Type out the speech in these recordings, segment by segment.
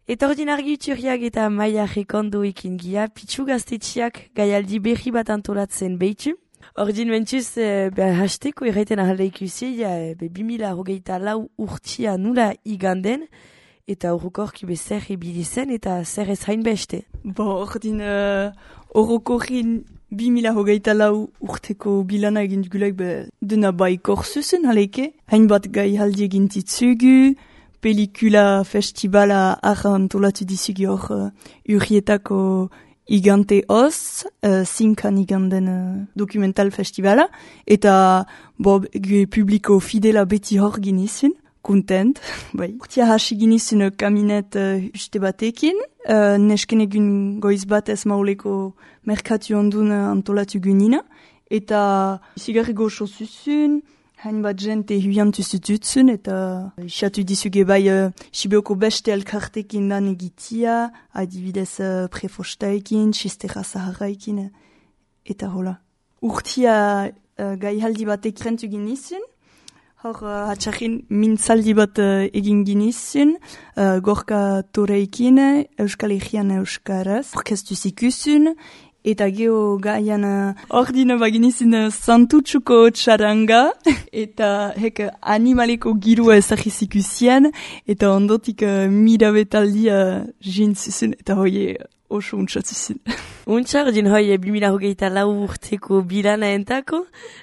Eta ordin argituriak eta maia rekondoekin gia, pitsu gaztetxiak gaialdi berri bat antolatzen behitu. Ordin mentuz, hasteko erraiten ahalda ikusi, 2024 urtia nula iganden, eta horrokorki zer ebilizen eta zer ez hain beste. Ordin horrokorin 2024 urteko bilana egin dugulak dena baikor zuzen haleke. Hainbat gaialdi egin ditzugu, pelikula festivala antolatu dizugu hor urrietako igante hoz, zinkan iganden dokumental festivala, eta publiko fidela beti hor ginizun, kontent. Urtia hasi ginizun kaminet uste batekin, nesken egun goiz bat ez mauleko merkatu ondun antolatu gunina, eta zigarri goxo zuzun, hainbat jente huiantu zututzun, eta xatu dizuge Sibeoko beste elkartekin lan egitia, adibidez prefostaekin, xistera zaharraikin, eta hola. Urtia gaihaldi batek rentu ginizun, hor hatxarrin mintzaldi bat egin ginizun, gorka toreikin, Euskal Herrian Euskaraz, orkestu zikusun, eta geho gaian ordina baginizin santutsuko txaranga, eta hek animaleko girua ezagizikusien, eta ondotik mirabetaldia jintzizun, eta hoie oso untsatzizun. Untxar, din hoi 2024 urteko bilana entako,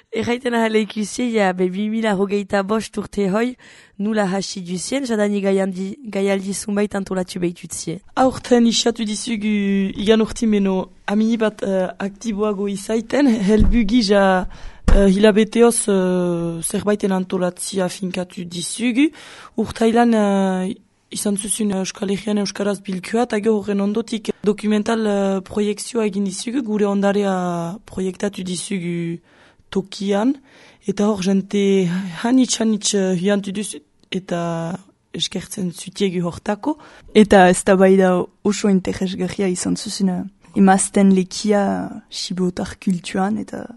erraiten ahala ikusi, 2025 urte hoi, nula hasi duzien, jadani gaialdi zunbait antolatu behitutzie. Aurten isatu dizugu igan urtimeno amini bat aktiboago izaiten, helbu gija hilabeteoz zerbaiten antolatzia finkatu dizugu. Urtailan izan zuzun Euskal Herrian Euskaraz bilkua, eta horren ondotik dokumental proiektzioa egin dizugu, gure ondarea proiektatu dizugu tokian, eta hor jente hanitz hiantu duzu, eta eskertzen zutiegu hortako. Eta ez da bai da oso interesgarria izan zuzun emazten lekia sibotar kultuan, eta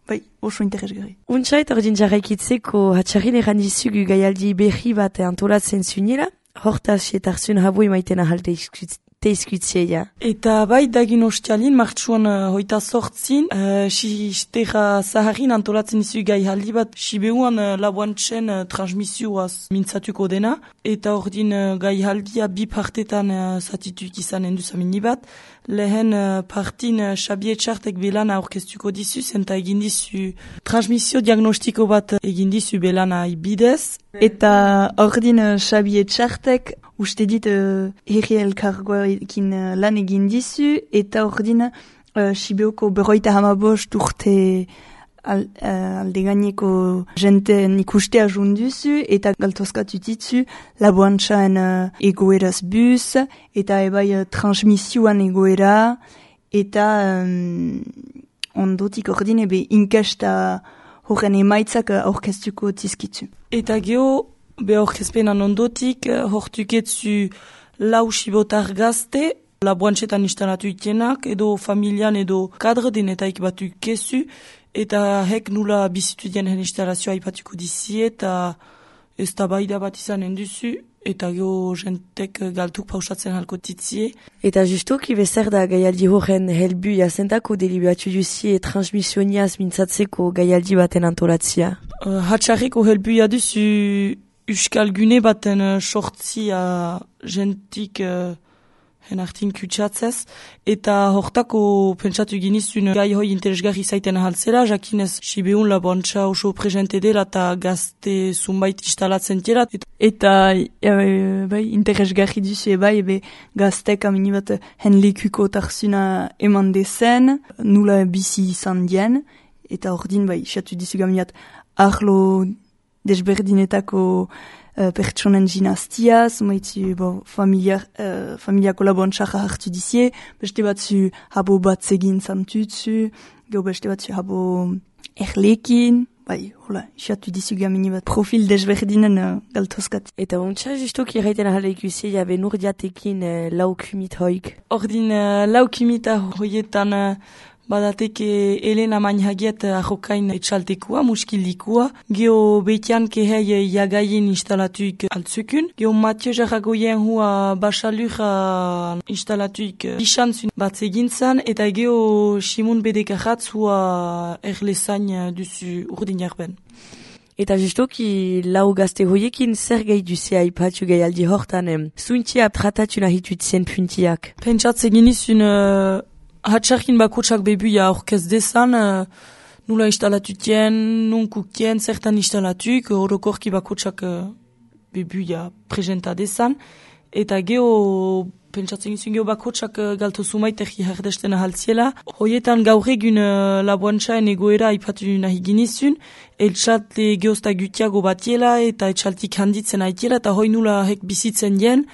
bai, oso interesgarri. Untsait ordin jarraikitzeko hatxarrin erran dizugu gaialdi berri bat antolatzen zunila, hortaz etarzun habu emaiten ahalte teizkutzea. Eta bai dagin ostialin, martxuan hoita sortzin, xistera zaharin antolatzen izu gaialdi bat, Sibeuan labuantzen transmisioaz mintzatuko dena, eta ordin gaialdia bi partetan zatituik izan enduzamini bat, lehen partin Xabi Etxartek belana orkestuko dizu, eta egin dizu transmisio diagnostiko bat egin dizu belana ibidez. Eta ordin Xabi Etxartek uste dit herri elkargoekin lan egin dizu, eta ordin Sibeoko 55 urte alde gaineko jenten ikustea junduzu, eta galtozkatu ditzu laboantzaen egoeraz buz, eta ebai transmisioan egoera, eta ondotik ordin ebe inkesta horren emaitzak orkestuko tizkitzu. Eta geho, be orkezpenan ondotik, hortuketzu lau sibotar gazte, laboantzetan instalatu itenak, edo familian edo kadre denetaik batu kezu, eta hek nula bizitu dien instalazioa ipatuko dizi, eta ez da baida bat izan enduzu, eta geho jentek galtuk pausatzen halko titzie. Eta justuki bezer da gaialdi horren helbu jazentako deliberatu duzie transmisioniaz mintzatzeko gaialdi baten antolatzia. Hatxarreko helbu jaduzu Euskal Gune baten sortzia jentik henartin kutsatzez, eta hortako pentsatu ginizun gai hoi interesgarri zaiten ahaltzela, jakinez Sibeun laboantza oso presente dela eta gazte zunbait instalatzen dela. Eta bai, interesgarri duzu ebe gaztek amini bat henlekuko tarzuna eman dezen, nula bizi izan dien, eta ordin bai, xatu dizu gamiat arlo desberdinetako pertsonen ginaztia, zumaitzu familiako laboantxarra hartu dizie, beste batzu habo bat zegin zantutzu, geho beste batzu habo erlekin, bai, hola, xatu dizu gamini bat profil desberdinen galtozkat. Eta ontsa justuki erraiten ahala ikusi, jabe nurdiatekin laukumit hoik. Ordin laukumita hoietan badateke Elena Mainhagiet ahokain etxaltekua, muskildikua, geho beitian kehei jagaien instalatuik altzukun, geho Mathieu Jarragoien hua basalura instalatuik isantzun batzegintzan, eta geho Simon Bedekaratz hua erlezain duzu urdin jarben. Eta justoki lau gazte hoiekin zer gai duzea ipatu gai aldi hortan, zuintia tratatu nahitutzen puntiak. Pentsatze ginizun hatxarkin bakotsak bebuia aurkez dezan, nula instalatutien, nun kukien, zertan instalatuk, orokorki bakotsak bebuia presenta dezan, eta geho pentsatzen gizun geho bakotsak galto sumaitek herdesten ahaltziela. Hoietan gaur egun laboantxaen egoera ipatu nahi ginizun, etxalte geozta gutiago batiela eta etxaltik handitzen aitiela, eta hoi nula hek bizitzen dien,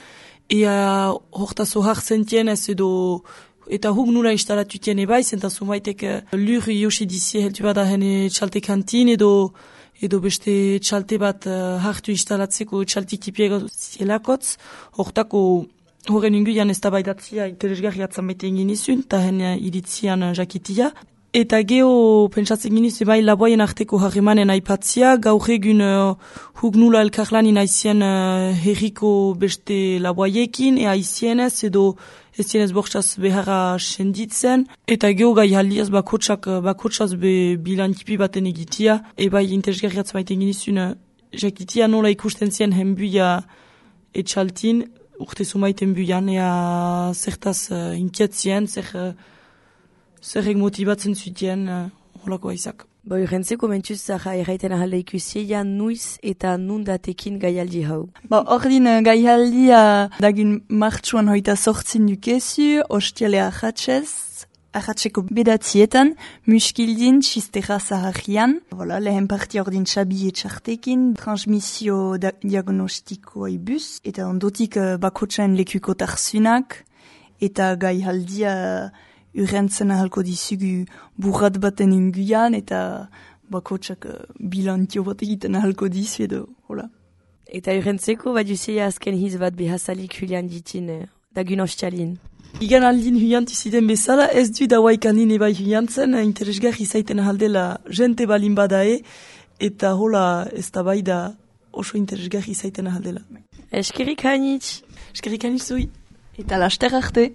ea hortazo hartzen dien ez edo, eta huk nula instalatutien ebaiz, eta sumaitek lur josi dizie heltu bada hene etxalte kantin edo beste etxalte bat hartu instalatzeko etxaltik tipiego zielakotz, hortako horren inguian ez da baidatzia interesgarri atzan bete egin izun, eta hene iritzian jakitia. Eta geho pentsatzen giniz bai laboaien arteko harremanen aipatzia, gaur egun huk nula elkarlanin aizien herriko beste laboaiekin, aizienez edo ez zienez bortxaz beharra senditzen, eta geho gai haldiaz bakotsaz bilantipi baten egitia, bai interesgarri atzan bete egin izun jakitia nola ikusten zien henbuia etxaltin, urte sumaiten buian, ea zertaz inkietzien, zerrek motibatzen zutien, holako aizak. Jentzeko mentuz zaha erraiten ahalde ikusia nuiz eta nundatekin gaialdi hau. Ordin gaialdia dagin martxuan hoita sortzin dukezu, ostiale ahatzeko bedatzietan, muskildin txistera zaharrian. Lehen parti ordin txabi etxartekin, transmisio diagnostikoa ibuz, eta ondotik bakotxaen lekuko tarzunak, eta gaialdia urrentzen ahalko dizugu burrat baten inguian, eta bakotxak bilantio bat egiten ahalko dizu edo, hola. Eta urrentzeko baduzea azken hiz bat behazalik hulian ditin, dagun ostialin. Igan aldin huiantiziden bezala, ez du dauaikanin ebai huiantzen, interesgarri zaiten ahaldela jente balin badae, eta hola ez da bai da oso interesgarri zaiten ahaldela. Eskerik hainitz. Eskerik hainitz zui. Eta laster arte.